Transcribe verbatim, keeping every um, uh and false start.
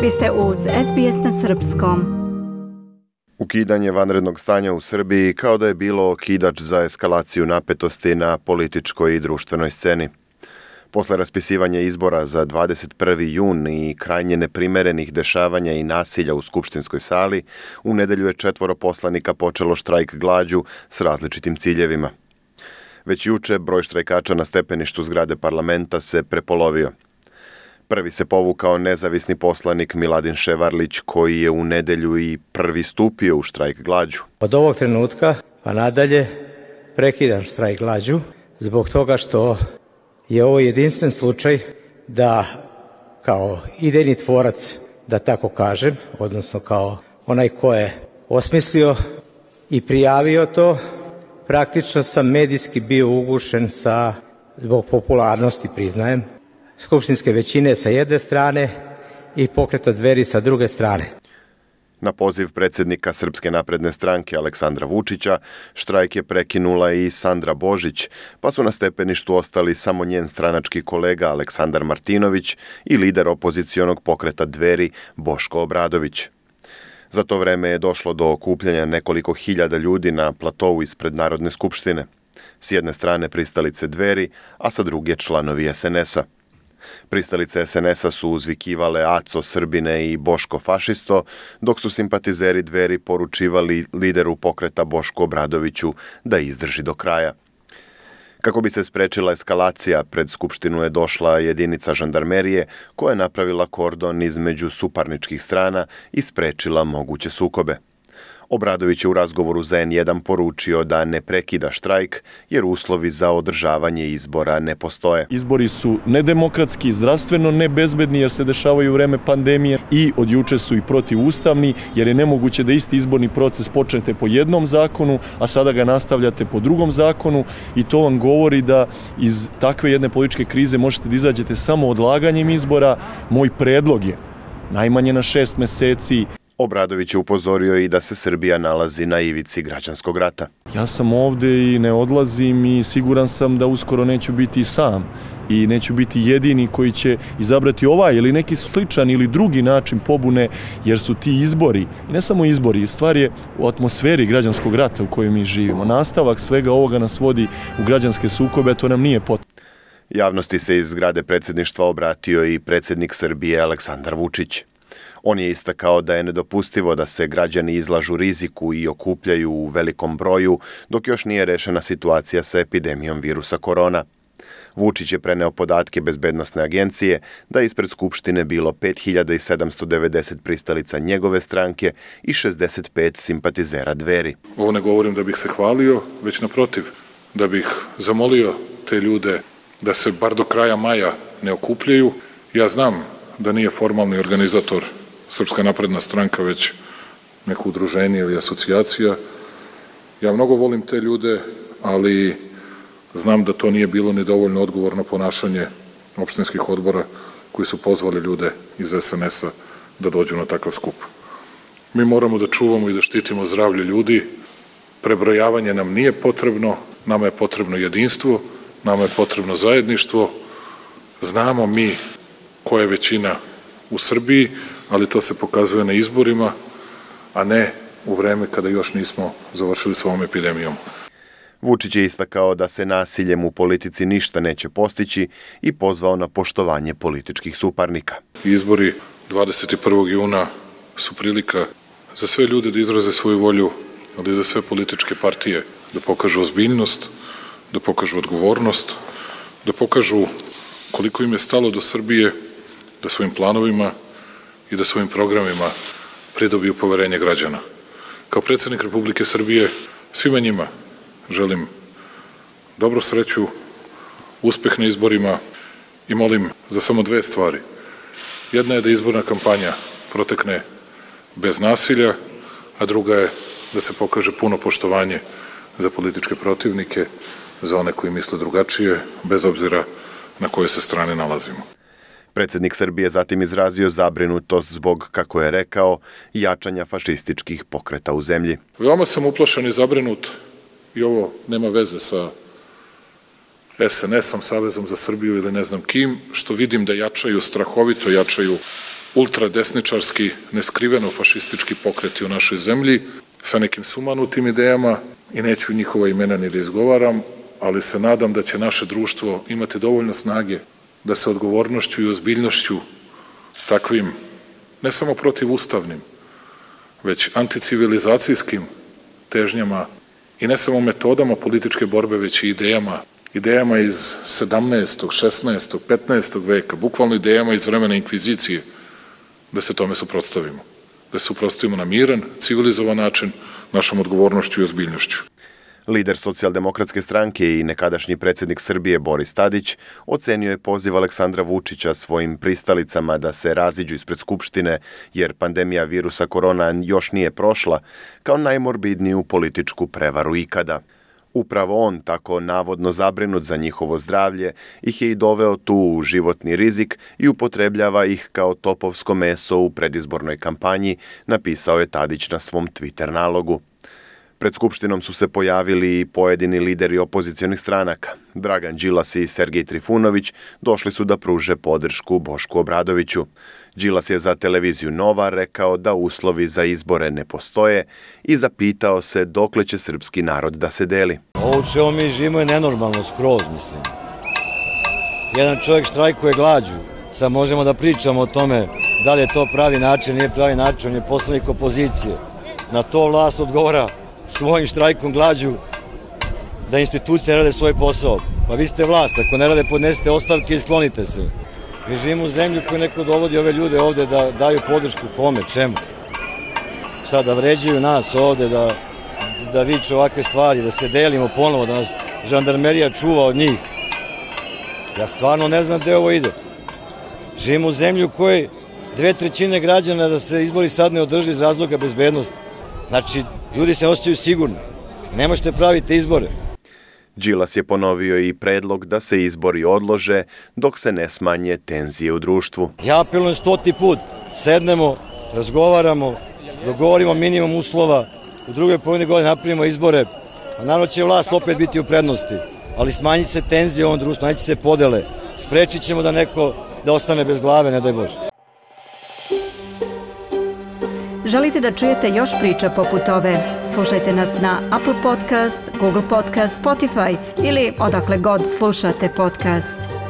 Vi ste uz S B S na srpskom. Ukidanje vanrednog stanja u Srbiji kao da je bilo okidač za eskalaciju napetosti na političkoj i društvenoj sceni. Posle raspisivanja izbora za dvadeset prvi jun i krajnje neprimerenih dešavanja i nasilja u skupštinskoj sali, u nedelju je četvoro poslanika počelo štrajk glađu s različitim ciljevima. Već juče broj štrajkača na stepeništu zgrade parlamenta se prepolovio. Prvi se povukao nezavisni poslanik Miladin Ševarlić, koji je u nedelju i prvi stupio u štrajk glađu. Od ovog trenutka pa nadalje prekidam štrajk glađu zbog toga što je ovo jedinstven slučaj da kao idejni tvorac, da tako kažem, odnosno kao onaj ko je osmislio i prijavio to, praktično sam medijski bio ugušen sa, zbog popularnosti, priznajem, skupštinske većine sa jedne strane i Pokreta Dveri sa druge strane. Na poziv predsjednika Srpske napredne stranke Aleksandra Vučića, štrajk je prekinula i Sandra Božić, pa su na stepeništu ostali samo njen stranački kolega Aleksandar Martinović i lider opozicionog Pokreta Dveri Boško Obradović. Za to vreme je došlo do okupljanja nekoliko hiljada ljudi na platovu ispred Narodne skupštine. S jedne strane pristalice Dveri, a sa druge članovi S N S-a. Pristalice S N S-a su uzvikivale Aco Srbine i Boško fašisto, dok su simpatizeri Dveri poručivali lideru pokreta Bošku Obradoviću da izdrži do kraja. Kako bi se sprečila eskalacija, pred skupštinu je došla jedinica žandarmerije koja je napravila kordon između suparničkih strana i sprečila moguće sukobe. Obradović je u razgovoru za N jedan poručio da ne prekida štrajk jer uslovi za održavanje izbora ne postoje. Izbori su nedemokratski, zdravstveno nebezbedni jer se dešavaju u vreme pandemije i od juče su i protivustavni jer je nemoguće da isti izborni proces počnete po jednom zakonu, a sada ga nastavljate po drugom zakonu i to vam govori da iz takve jedne političke krize možete da izađete samo odlaganjem izbora. Moj predlog je najmanje na šest meseci. Obradović je upozorio i da se Srbija nalazi na ivici građanskog rata. Ja sam ovde i ne odlazim i siguran sam da uskoro neću biti sam i neću biti jedini koji će izabrati ovaj ili neki sličan ili drugi način pobune, jer su ti izbori, i ne samo izbori, stvar je u atmosferi građanskog rata u kojoj mi živimo. Nastavak svega ovoga nas vodi u građanske sukobe, to nam nije potrebno. Javnosti se iz zgrade predsjedništva obratio i predsjednik Srbije Aleksandar Vučić. On je istakao da je nedopustivo da se građani izlažu riziku i okupljaju u velikom broju dok još nije rešena situacija sa epidemijom virusa korona. Vučić je preneo podatke Bezbednosne agencije da je ispred Skupštine bilo pet hiljada sedamsto devedeset pristalica njegove stranke i šezdeset pet simpatizera Dveri. Ovo ne govorim da bih se hvalio, već naprotiv, da bih zamolio te ljude da se bar do kraja maja ne okupljaju. Ja znam da nije formalni organizator Srpska napredna stranka, već neko udruženje ili asocijacija. Ja mnogo volim te ljude, ali znam da to nije bilo ni dovoljno odgovorno ponašanje opštinskih odbora koji su pozvali ljude iz S N S-a da dođu na takav skup. Mi moramo da čuvamo i da štitimo zdravlje ljudi. Prebrojavanje nam nije potrebno, nama je potrebno jedinstvo, nama je potrebno zajedništvo. Znamo mi koja je većina u Srbiji, ali to se pokazuje na izborima, a ne u vreme kada još nismo završili s ovom epidemijom. Vučić je istakao da se nasiljem u politici ništa neće postići i pozvao na poštovanje političkih suparnika. Izbori dvadeset prvog juna su prilika za sve ljude da izraze svoju volju, ali i za sve političke partije da pokažu ozbiljnost, da pokažu odgovornost, da pokažu koliko im je stalo do Srbije, da svojim planovima i da svojim programima pridobiju poverenje građana. Kao predsjednik Republike Srbije svima njima želim dobru sreću, uspeh na izborima i molim za samo dve stvari. Jedna je da izborna kampanja protekne bez nasilja, a druga je da se pokaže puno poštovanje za političke protivnike, za one koji misle drugačije, bez obzira na kojoj se strane nalazimo. Predsjednik Srbije zatim izrazio zabrinutost zbog, kako je rekao, jačanja fašističkih pokreta u zemlji. Veoma sam uplašen i zabrinut, i ovo nema veze sa S N S-om, Savezom za Srbiju ili ne znam kim, što vidim da jačaju, strahovito jačaju ultradesničarski, neskriveno fašistički pokreti u našoj zemlji sa nekim sumanutim idejama i neću njihova imena ni da izgovaram, ali se nadam da će naše društvo imati dovoljno snage da se odgovornošću i ozbiljnošću takvim, ne samo protivustavnim, već anticivilizacijskim težnjama i ne samo metodama političke borbe, već i idejama, idejama iz sedamnaestog, šesnaestog, petnaestog veka, bukvalno idejama iz vremena inkvizicije, da se tome suprotstavimo. Da se suprotstavimo na miran, civilizovan način, našom odgovornošću i ozbiljnošću. Lider Socijaldemokratske stranke i nekadašnji predsjednik Srbije Boris Tadić ocenio je poziv Aleksandra Vučića svojim pristalicama da se raziđu ispred Skupštine jer pandemija virusa korona još nije prošla kao najmorbidniju političku prevaru ikada. Upravo on, tako navodno zabrinut za njihovo zdravlje, ih je i doveo tu u životni rizik i upotrebljava ih kao topovsko meso u predizbornoj kampanji, napisao je Tadić na svom Twitter nalogu. Pred Skupštinom su se pojavili i pojedini lideri opozicionih stranaka. Dragan Đilas i Sergej Trifunović došli su da pruže podršku Bošku Obradoviću. Đilas je za televiziju Nova rekao da uslovi za izbore ne postoje i zapitao se dokle će srpski narod da se deli. Ovo u čemu mi živimo je nenormalno skroz, mislim. Jedan čovjek štrajkuje glađu. Sad možemo da pričamo o tome da li je to pravi način, nije pravi način, on je poslanik opozicije. Na to vlast odgovara svojim štrajkom glađu da institucije rade svoj posao. Pa vi ste vlast, ako ne rade podnesite ostavke i sklonite se. Mi živimo u zemlju koju neko dovodi ove ljude ovde da daju podršku kome, čemu? Šta, da vređaju nas ovde, da, da viču ovakve stvari, da se delimo ponovo, da nas žandarmerija čuva od njih. Ja stvarno ne znam gde ovo ide. Živimo u zemlju u kojoj dve trećine građana da se izbori sad ne održi iz razloga bezbednosti. Znači, ljudi se osjećaju sigurno. Ne možete praviti izbore. Đilas je ponovio i predlog da se izbori odlože dok se ne smanje tenzije u društvu. Ja apelujem stoti put, sednemo, razgovaramo, dogovorimo minimum uslova, u drugoj polovini godine napravimo izbore, a naravno će vlast opet biti u prednosti, ali smanjit se tenzije u ovom društvu, smanjit se podele, sprečit ćemo da neko da ostane bez glave, ne daj Bože. Želite da čujete još priča poput ove? Slušajte nas na Apple Podcast, Google Podcast, Spotify ili odakle god slušate podcast.